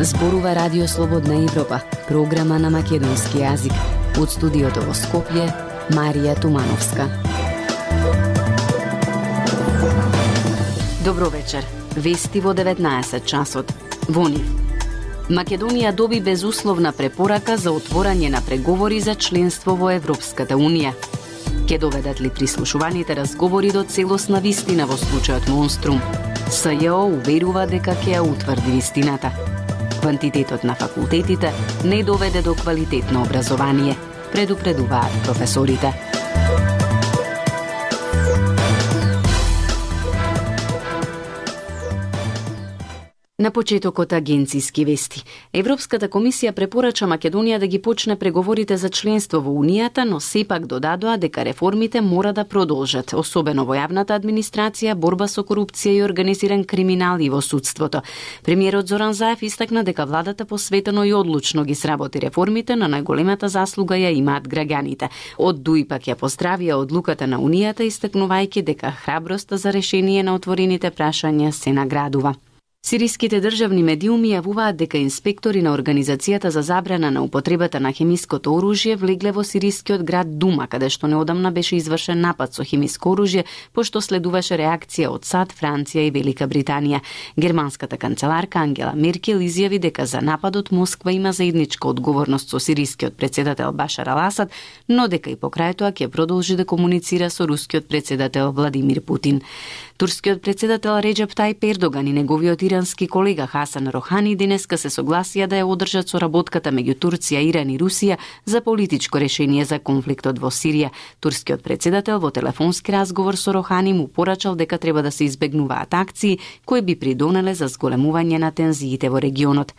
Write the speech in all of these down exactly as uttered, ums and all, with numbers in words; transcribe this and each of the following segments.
Зборува Радио Слободна Европа, програма на македонски јазик. Од студиото во Скопје, Марија Тумановска. Добро вечер. Вести во деветнаесет часот. Во нив. Македонија доби безусловна препорака за отворање на преговори за членство во Европската Унија. Ке доведат ли прислушуваните разговори до целосна вистина во случајот Монструм? СЈО уверува дека ќе ја утврди вистината. Квантитетот на факултетите не доведе до квалитетно образование, предупредуваат професорите. На почетокот агенциски вести. Европската комисија препорача Македонија да ги почне преговорите за членство во Унијата, но сепак додадоа дека реформите мора да продолжат, особено во јавната администрација, борба со корупција и организиран криминал и во судството. Премиерот Зоран Заев истакна дека владата посветено и одлучно ги сработи реформите, на најголемата заслуга ја имаат граѓаните. Од Дуи пак ја поздравија одлуката на Унијата, истакнувајќи дека храброста за решение на отворените прашања се наградува. Сириските државни медиуми јавуваат дека инспектори на Организацијата за забрана на употребата на хемиското оружје влегле во сирискиот град Дума, каде што неодамна беше извршен напад со хемиско оружје, пошто следуваше реакција од САД, Франција и Велика Британија. Германската канцеларка Ангела Меркел изјави дека за нападот Москва има заедничка одговорност со сирискиот претседател Башар ал Асад, но дека и покрај тоа ќе продолжи да комуницира со рускиот претседател Владимир Путин. Турскиот претседател Реджеп Тајип Ердоган и неговиот ирански колега Хасан Рохани денеска се согласија да ја одржат соработката меѓу Турција, Иран и Русија за политичко решение за конфликтот во Сирија. Турскиот претседател во телефонски разговор со Рохани му порачал дека треба да се избегнуваат акции кои би придонеле за зголемување на тензиите во регионот.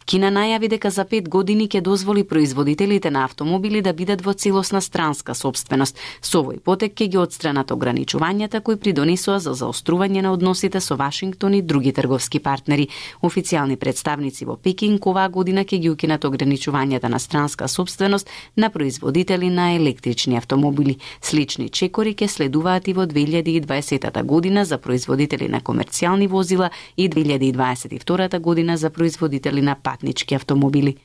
Кина најави дека за пет години ќе дозволи производителите на автомобили да бидат во целосна странска сопственост. Со овој потек ќе ги отстранат ограничувањата кои придонесоа за заострување на односите со Вашингтон и други трговски партнери. Официјални представници во Пекинг оваа година ќе ги укинат ограничувањата на странска сопственост на производители на електрични автомобили. Слични чекори ќе следуваат и во две илјади и дваесета година за производители на комерцијални возила и две илјади и дваесет и втора година за производители на патнички автомобили.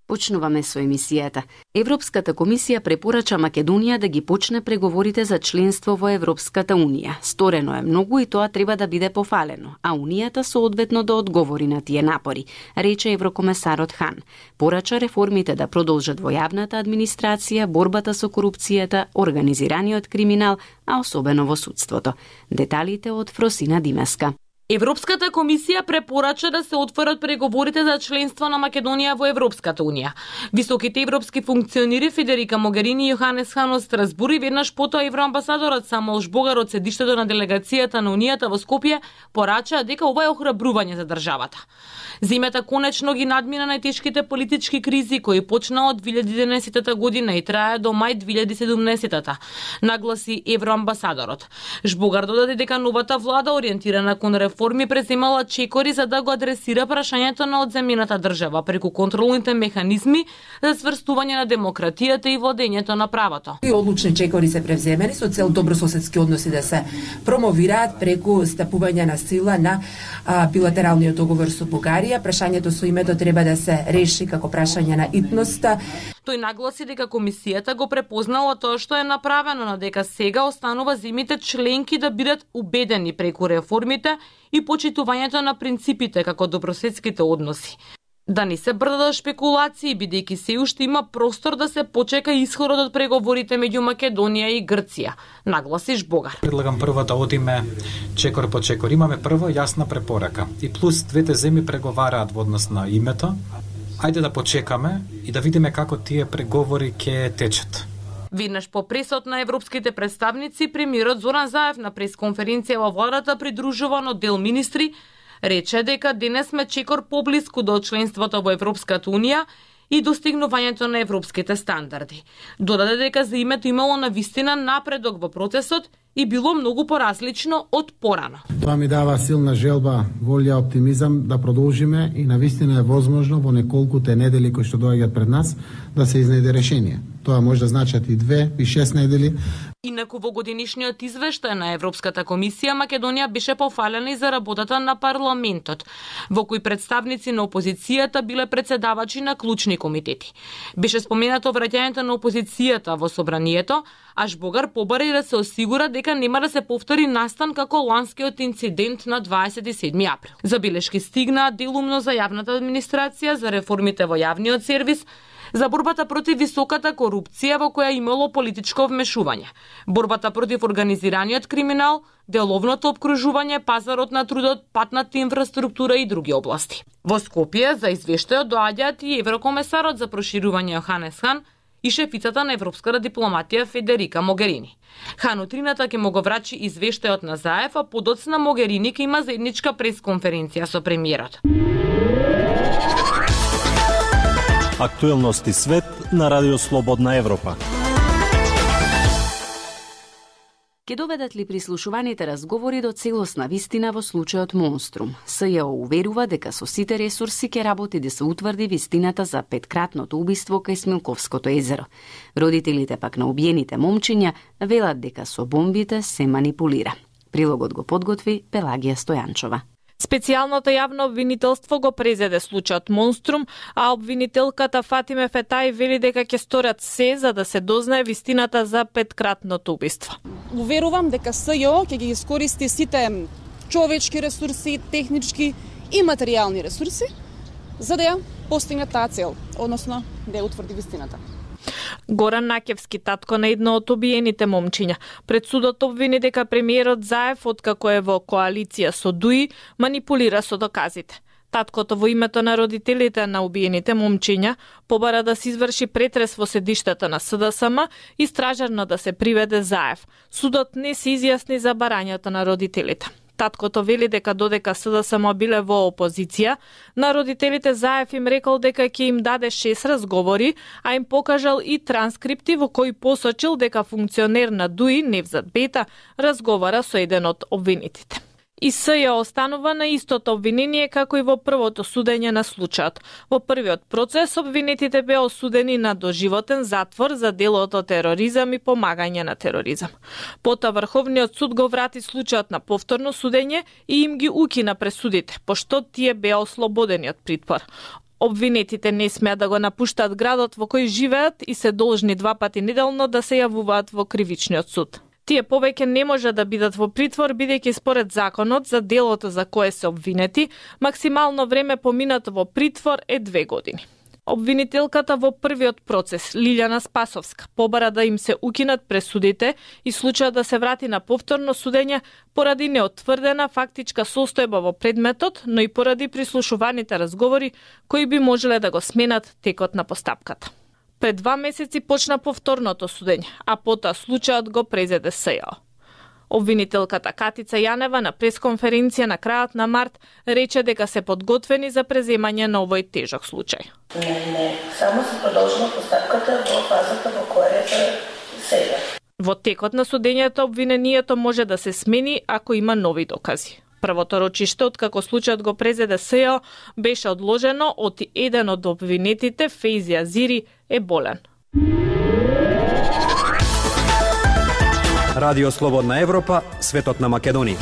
Почнуваме со емисијата. Европската комисија препорача Македонија да ги почне преговорите за членство во Европската Унија. Сторено е многу и тоа треба да биде пофалено, а Унијата соодветно да одговори на тие напори, рече еврокомесарот Хан. Порача реформите да продолжат во јавната администрација, борбата со корупцијата, организираниот криминал, а особено во судството. Деталите од Фросина Димеска. Европската комисија препорача да се отворат преговорите за членство на Македонија во Европската Унија. Високите европски функционери Федерика Могерини и Јоханес Хан од Страсбур и веднаш потоа евроамбасадорот Самуел Жбогар од седиштето на делегацијата на Унијата во Скопје порачаа дека ова е охрабрување за државата. Земјата конечно ги надмина најтешките политички кризи кои почнаа од две илјади и единаесета година и трае до мај две илјади и седумнаесета, нагласи евроамбасадорот. Жбогар додаде дека новата влада ориентирана кон реформи преземала чекори за да го адресира прашањето на одземјената држава преку контролните механизми за сврстување на демократијата и владењето на правото. И одлучни чекори се превземени со цел добрососедски односи да се промовираат преку стапување на сила на а, билатералниот договор со Бугарија. Прашањето со името треба да се реши како прашање на итноста. Тој нагласи дека комисијата го препознала тоа што е направено, но дека сега останува земјите членки да бидат убедени преку реформите и почитувањето на принципите како добрососедските односи. Да не се брдат шпекулации, бидејќи се уште има простор да се почека исходот од преговорите меѓу Македонија и Грција, нагласи Жбогар. Предлагам прво да одиме чекор по чекор. Имаме прво јасна препорака и плюс двете земји преговараат во однос на името. Ајде да почекаме и да видиме како тие преговори ќе течат. Веднаш по пресот на европските представници, премиерот Зоран Заев на пресконференција во владата придружуван од дел министри рече дека денес сме чекор поблиску до членството во Европската Унија и достигнувањето на европските стандарди. Додаде дека за името имало навистина напредок во процесот и било многу поразлично од порано. Тоа ми дава силна желба, волја, оптимизам да продолжиме и навистина е возможно во неколкуте недели кои што доаѓаат пред нас да се изнајде решение. Тоа може да значат и две, и шест недели. Инаку во годинишниот извештај на Европската комисија, Македонија беше пофалена и за работата на парламентот, во кој представници на опозицијата биле председавачи на клучни комитети. Беше споменато враќањето на опозицијата во собранието, аж Богар побари да се осигура дека нема да се повтори настан како ланскиот инцидент на дваесет и седми април. Забелешки стигнаа делумно за јавната администрација, за реформите во јавниот сервис, за борбата против високата корупција во која имало политичко вмешување, борбата против организираниот криминал, деловното обкружување, пазарот на трудот, патната инфраструктура и други области. Во Скопје за извештајот доаѓаат и еврокомесарот за проширување Јоханес Хан и шефицата на европската дипломатија Федерика Могерини. Хан утрината ќе му го врачи извештајот на Заев, а подоцна Могерини ќе има заедничка пресконференција со премиерот. Актуелности свет на Радио Слободна Европа. Ке доведат ли прислушуваните разговори до целосна вистина во случајот Монструм? СЈО уверува дека со сите ресурси ќе работи да се утврди вистината за петкратното убиство кај Смилковското езеро. Родителите пак на убиените момчиња велат дека со бомбите се манипулира. Прилогот го подготви Пелагија Стојанчова. Специјалното јавно обвинителство го презеде случајот Монструм, а обвинителката Фатиме Фетај вели дека ќе сторат се за да се дознае вистината за петкратното убиство. Уверувам дека СЈО ќе ги искористи сите човечки ресурси, технички и материјални ресурси за да ја постигне таа цел, односно да ја утврди вистината. Горан Накевски, татко на едно од обиените момчиња, пред судот обвини дека премиерот Заев, откако е во коалиција со ДУИ, манипулира со доказите. Таткото во името на родителите на убиените момчиња побара да се изврши претрес во седиштето на СДСМ и стражарно да се приведе Заев. Судот не се изјасни за барањето на родителите. Таткото вели дека додека СДСМ биле во опозиција, на родителите Заев им рекол дека ќе им даде шест разговори, а им покажал и транскрипти во кои посочил дека функционер на ДУИ Невзат Бета разговара со еден од обвинетите. И СЈО останува на истото обвинение како и во првото судење на случајот. Во првиот процес обвинетите беа осудени на доживотен затвор за делото тероризам и помагање на тероризам. Потоа Врховниот суд го врати случајот на повторно судење и им ги укина пресудите, пошто тие беа ослободени од притвор. Обвинетите не смеат да го напуштаат градот во кој живеат и се должни два пати неделно да се јавуваат во кривичниот суд. Тие повеќе не може да бидат во притвор, бидејќи според законот за делото за кое се обвинети, максимално време поминато во притвор е две години. Обвинителката во првиот процес, Лилјана Спасовска, побара да им се укинат пресудите и случајот да се врати на повторно судење поради неотврдена фактичка состојба во предметот, но и поради прислушуваните разговори кои би можеле да го сменат текот на постапката. Пред два месеци почна повторното судење, а потоа случајот го презеде СЈО. Обвинителката Катица Јанева на пресконференција на крајот на март рече дека се подготвени за преземање на овој тежок случај. Не, не, само се продолжила постапката во фазата во која е сега. Во текот на судењето обвинението може да се смени ако има нови докази. Првото рочиште, откако случајот го презеде СЈО, беше одложено од еден од обвинетите, Фейзи Азири, е болен. Радио Слободна Европа, светот на Македонија.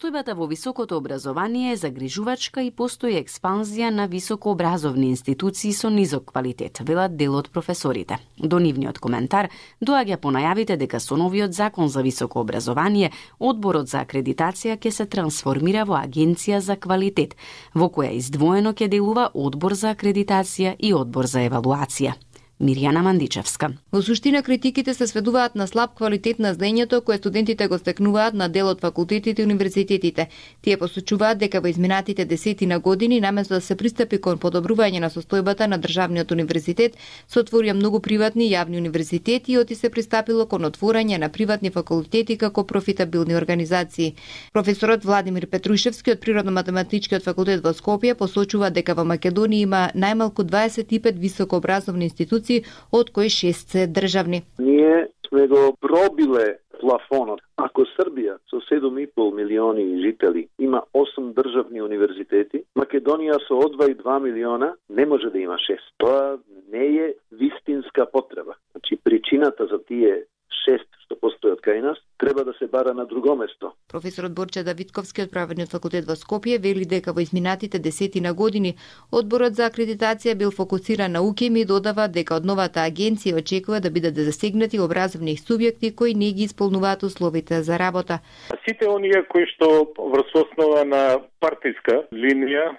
Состојбата во високото образование е загрижувачка и постои експанзија на високообразовни институции со низок квалитет, велат дел од професорите. До нивниот коментар доаѓа по најавите дека со новиот закон за високо образование одборот за акредитација ќе се трансформира во агенција за квалитет, во која издвоено ќе делува одбор за акредитација и одбор за евалуација. Мирјана Мандичевска. Во суштина критиките се сведуваат на слаб квалитет на знаењето кое студентите го стекнуваат на дел од факултетите и универзитетите. Тие посочуваат дека во изминатите десетина години наместо да се пристапи кон подобрување на состојбата на државниот универзитет, се отворија многу приватни и јавни универзитети и оти се пристапило кон отворање на приватни факултети како профитабилни организации. Професорот Владимир Петрушевски од Природно-математичкиот факултет во Скопје посочува дека во Македонија има најмалку дваесет и пет високообразовни институции институции, од кои шест се државни. Ние сме го пробиле плафонот. Ако Србија со седум и пол милиони жители има осум државни универзитети, Македонија со од два и два милиона не може да има шест. Тоа не е вистинска потреба. Значи причината за тие шест што постојат кај нас треба да се бара на друго место. Професорот Борче Давидковски од Правниот факултет во Скопје вели дека во изминатите десетина години одборот за акредитација бил фокусиран на УКИМ и додава дека од новата агенција очекува да бидат засегнати образовни субјекти кои не ги исполнуваат условите за работа. Сите оние кои што врз основа на партиска линија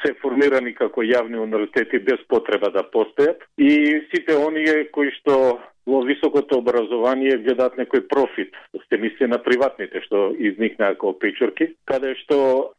се формирани како јавни универзитети без потреба да постојат и сите оние кои што во високото образование гледаат некој профит, се мисли на приватните што изникнаа како печорки, каде што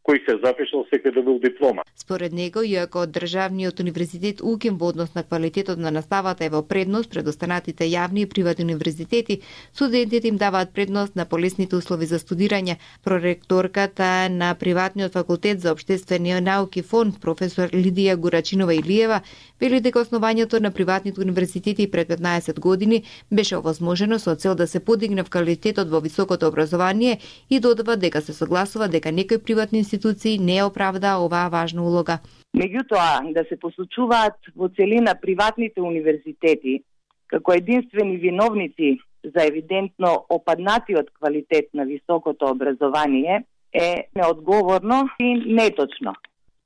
кој се запишал секој добил диплома. Според него, иако државниот универзитет УКИМ во однос на квалитетот на наставата е во предност пред останатите јавни и приватни универзитети, студентите им даваат предност на полесните услови за студирање. Проректорката на Приватниот факултет за општествени науки фонд, професор Лидија Гурачинова Илиева, вели дека основањето на приватните универзитети пред петнаесет години беше овозможено со цел да се подигне квалитетот во високото образование и додава дека се согласува дека некои приватни институции не оправдаа оваа важна улога. Меѓутоа, да се посочуваат во целина приватните универзитети како единствени виновници за евидентно опаднатиот квалитет на високото образование е неодговорно и неточно.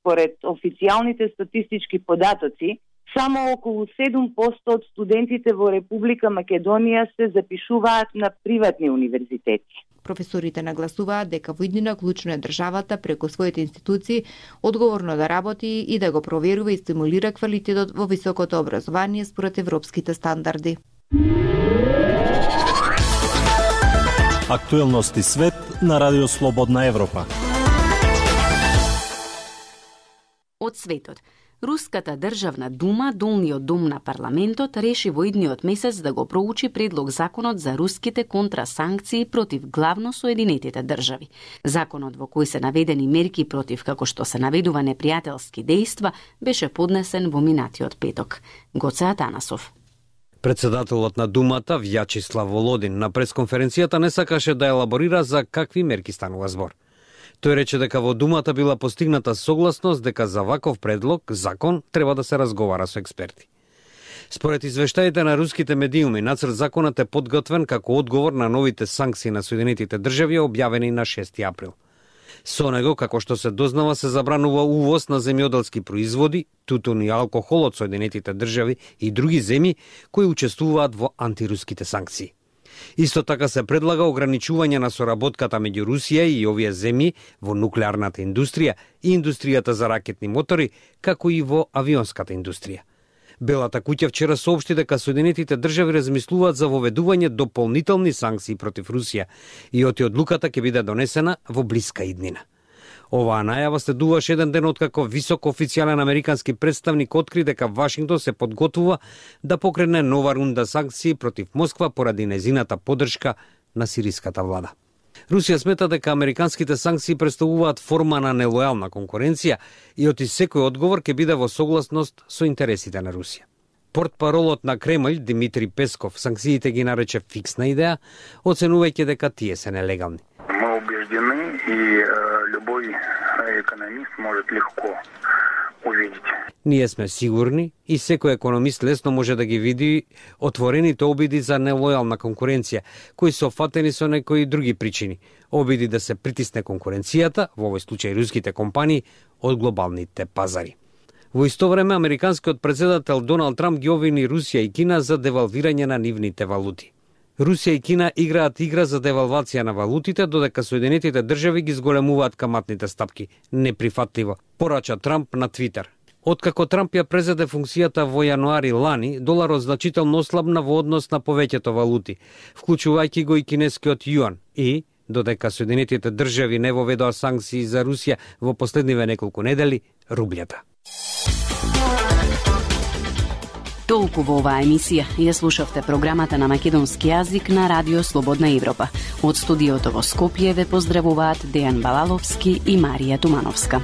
Според официјалните статистички податоци, само околу седум проценти од студентите во Република Македонија се запишуваат на приватни универзитети. Професорите нагласуваат дека во иднина клучно е државата преку своите институции одговорно да работи и да го проверува и стимулира квалитетот во високото образование според европските стандарди. Актуелности свет на Радио Слободна Европа. Од светот. Руската државна дума, долниот дом на парламентот, реши во идниот месец да го проучи предлог законот за руските контрасанкции против главно Соединетите држави. Законот во кој се наведени мерки против, како што се наведува, непријателски дејства, беше поднесен во минатиот петок. Гоце Атанасов. Председателот на Думата, Вјачислав Володин, на пресконференцијата не сакаше да елаборира за какви мерки станува збор. Тој рече дека во Думата била постигната согласност дека за ваков предлог, закон, треба да се разговара со експерти. Според извештаите на руските медиуми, нацрт законот е подготвен како одговор на новите санкции на Соединетите држави објавени на шести април. Со него, како што се дознава, се забранува увоз на земјоделски производи, тутун и алкохол од Соединетите држави и други земји кои учествуваат во антируските санкции. Исто така се предлага ограничување на соработката меѓу Русија и овие земји во нуклеарната индустрија и индустријата за ракетни мотори, како и во авионската индустрија. Белата куќа вчера соопшти дека Соединетите држави размислуваат за воведување дополнителни санкции против Русија и оти одлуката ќе биде донесена во блиска иднина. Оваа најава следуваше еден ден откако висок официјален американски представник откри дека Вашингтон се подготвува да покрене нова рунда санкции против Москва поради незината поддршка на сириската влада. Русија смета дека американските санкции представуваат форма на нелојална конкуренција и оти секој одговор ќе биде во согласност со интересите на Русија. Портпаролот на Кремљ Димитри Песков санкциите ги нарече фиксна идеја, оценувајќи дека тие се нелегални. Мы убеждены, и э, любой економист может легко увидеть. Ние сме сигурни и секој економист лесно може да ги види отворените обиди за нелојална конкуренција, кои се офатени со некои други причини. Обиди да се притисне конкуренцијата, во овој случај руските компании, од глобалните пазари. Во исто време, американскиот претседател Доналд Трамп ги обвини Русија и Кина за девалвирање на нивните валути. Русија и Кина играат игра за девалвација на валутите, додека Соединетите држави ги зголемуваат каматните стапки. Неприфатливо, порача Трамп на Твитер. Откако Трамп ја презеде функцијата во јануари лани, доларот значително ослабна во однос на повеќето валути, вклучувајќи го и кинескиот јуан и, додека Соединетите држави не воведоа санкции за Русија во последниве неколку недели, рублјата. Толку во оваа емисија. Ја слушавте програмата на македонски јазик на Радио Слободна Европа. Од студиото во Скопје ве поздравуваат Дејан Балаловски и Марија Тумановска.